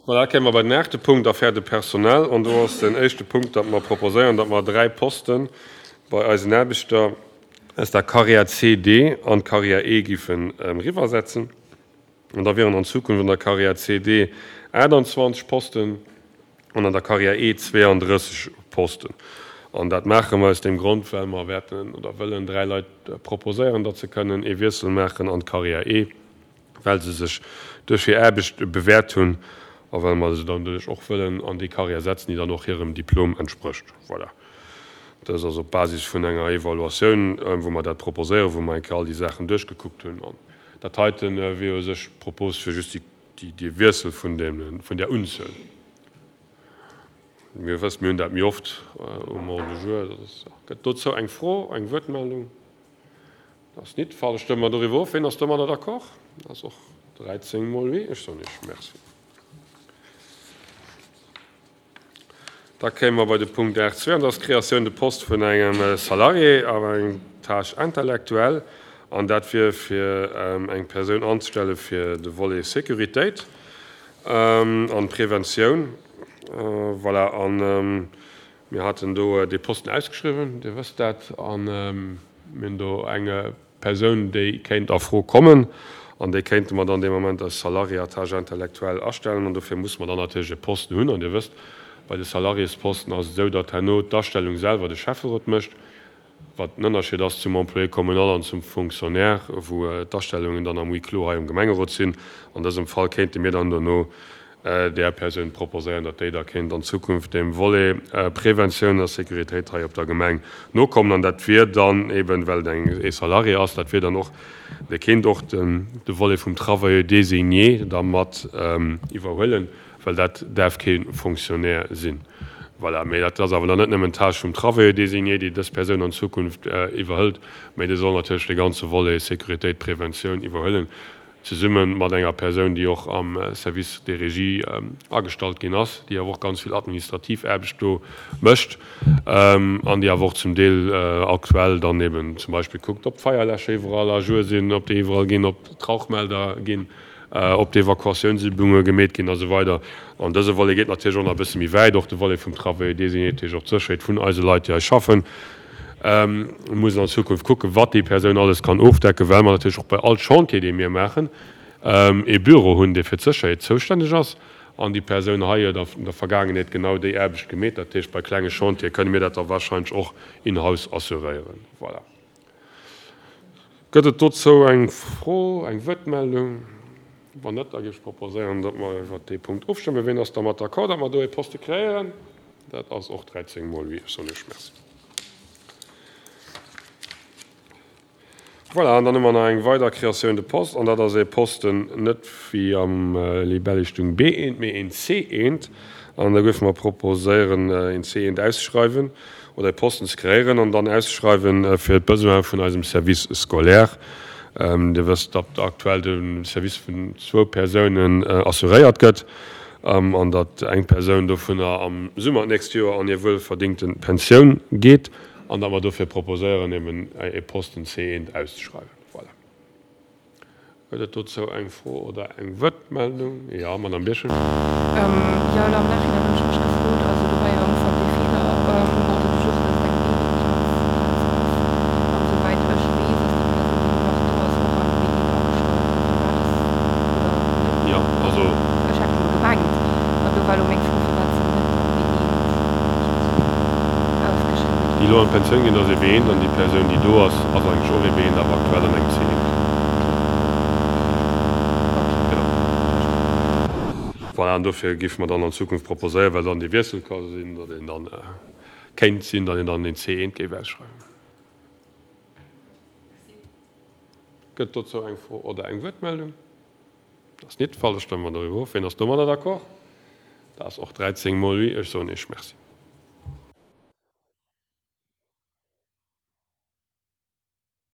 Voilà, da kéime mer bei den aachte Punkt, Affaires de personnel. An do ass den éischte Punkt, datt mer proposéieren, datt mer 3 Poste bei eisen Aarbechter aus der Carrière CD an d'Carrière E giffen eriwwersetzen. An da wieren an Zukunft an der Carrière CD 28 Posten an an der Carrière E 32 Posten. An dat maache mer aus deem Grond, well mer wäerten oder wëllen 3 Leit proposéieren, datt se kënnen ee Wiessel maachen an d'Carrière E. well se sech duerch hir Aarbecht bewäert hunn a well mer se dann doduerch och wëllen an déi Carrière setzen, déi dann och hirem Diplom entsprécht. Voilà. Dës ass op Basis vun enger Evaluatioun, wou mer dat proposéieren, wou mer eng Kéier all déi Saachen duerchgekuckt hunn. An dat heite wier u sech d'Propos fir just dee Wiessel vun där Unzuel. Mir wëssen, mir hunn dat méi oft um Ordre du jour. Gëtt dozou eng Fro, eng Wuertmeldung? Dat ass nit de Fall. Stëmme mer doriwwer of. Ween ass domadder d'accord? Dat ass och 13 mol oui. Ech soen Iech Merci. Da kéime mer bei de Punkt 8.2, an dat ass d'Créatioun de poste vun engem Salarié à eng Tâche intellectuelle. An dat wier fir eng Persoun anzestelle fir de Volet Sécuritéit an Preventioun. Voilà. An Mir haten do dee Posten ausgeschriwwen, Dir wësst dat, a mir hunn do eng Persoun, déi kéint a Fro kommen, an déi kéinte mer dann dee Moment als Salarié à tâche intellectuelle astellen. An dofir musse mer dann natierlech e Posten hunn. An Dir wësst, bei de Salariésposten ass et esou, datt herno d'Astellung selwer de Schäfferot mécht, wat den Ënnerscheed ass zum Employé communal an zum Fonctionnaire, wou d'Astellungen dann am Huis clos hei um Gemengerot sinn. An dësem Fall kéinte mir dann dono där Persoun proposéieren, datt déi da kéint an Zukunft deem Volet Preventioun a Sécuritéit hei op der Gemeng nokommen. An dat wier dann eben, well et eng ee Salarié ass, dat wier dann och, dee kéint och de Volet vum Travailleur désigné da mat iwwerhuelen, well dat däerf kee Fonctionnaire sinn. Voilà. Mee dat ass awer dann net nëmmen d'Tâche vum Travailleur désigné, déi dës Persoun an Zukunft iwwerhëlt, mee dee soll natierlech de ganze Volet Sécuritéit, Preventioun iwwerhuelen, zesumme mat enger Persoun, déi och am Service des régies agestallt ginn ass, déi awer och ganz vill administrativ Aarbecht do mécht an déi awer och zum Deel aktuell dann eben zum Beispill kuckt, ob d'Feierläscher iwwerall à jour sinn, ob déi iwwerall ginn, ob d'Rauchmelder ginn, ob d'Evakuatiounsübunge gemeet ginn a sou weider. An dëse Volet geet natierlech och nach e bësse méi wäit, och de Volet vum Travail désigné, dat heescht och d'Sécherheet vun eise Leit, déi hei schaffen. Mir mussen an Zukunft kucken, wat déi Persoun alles kann ofdecken, well mer natierlech och bei all Chantier, dee mir maachen, ee Büro hunn, dee fir d'Sécherheet zoustänneg ass. An déi Persoun hei huet an der Vergaangenheet genau déi Aarbecht gemeet. Dat heescht, bei klenge Chantiere kënne mir dat da warscheinlech och in-house assuréieren. Voilà. Gëtt et dozou eng Fro, eng Wuertmeldung? Wann net, da géif ech proposéieren, datt mer iwwert dee Punkt ofstëmmen. Ween ass dermat d'accord, datt mer do ee Poste kreéieren? Dat ass och 13 mol oui. Ech soen Iech Merci. Voilà, an dann hu mer nach eng weider Créatioun de poste, an dat ass ee Posten net wéi am Libelle stung B1, mee een C1. An da géife mer proposéieren, een C1 auszeschreiwen oder ee Posten ze kreéieren an dann auszeschreiwen fir d'Besoine vun eisem Service scolaire. Dir wësst, datt aktuell de Service vun zwou Persounen assuréiert gëtt an datt eng Persoun dovunner am Summer d'nächst Joer an hir wuelverdingte Pensioun geet an datt mer dofir proposéieren, eben ee Posten C1 auszeschreiwen. Voilà. Gëtt et dozou eng Fro oder eng Wuertmeldung? Jo, Madamm Birchen. Jo, elo am Nachhinein hunn ech mech gefrot, also do war jo am Ufank dee Feeler um Ordre du jour, dass et eng B-Eent Plaz ass. An esouwäit ech weess, ass déi Persoun, déi elo nach do ass, och am B-Eent agestallt. Also firwat ass, oder net? Jo, also. Ech hat elo gemengt, an do war elo meng Fro, firwat se net am B-Eent ausgeschriwwen Déi elo an d'Pensioun ginn, ass ee B-Eent an déi Persoun, déi do ass, ass eigentlech och ee B-Eent, awer aktuell an engem C-Eent. Voilà, an dofir géife mer dann an Zukunft proposéieren, well dann dee Wiessel ka sinn, datt een dann, kéint sinn, datt een dann een C1 géif ausschreiwen. Gëtt dozou eng Fro oder eng Wuertmeldung? Dat ass nit de Fall. Da stëmme mer doriwwer of. Wien ass domadder d'accord? Dat ass och 13 mol oui. Ech soen Iech Merci.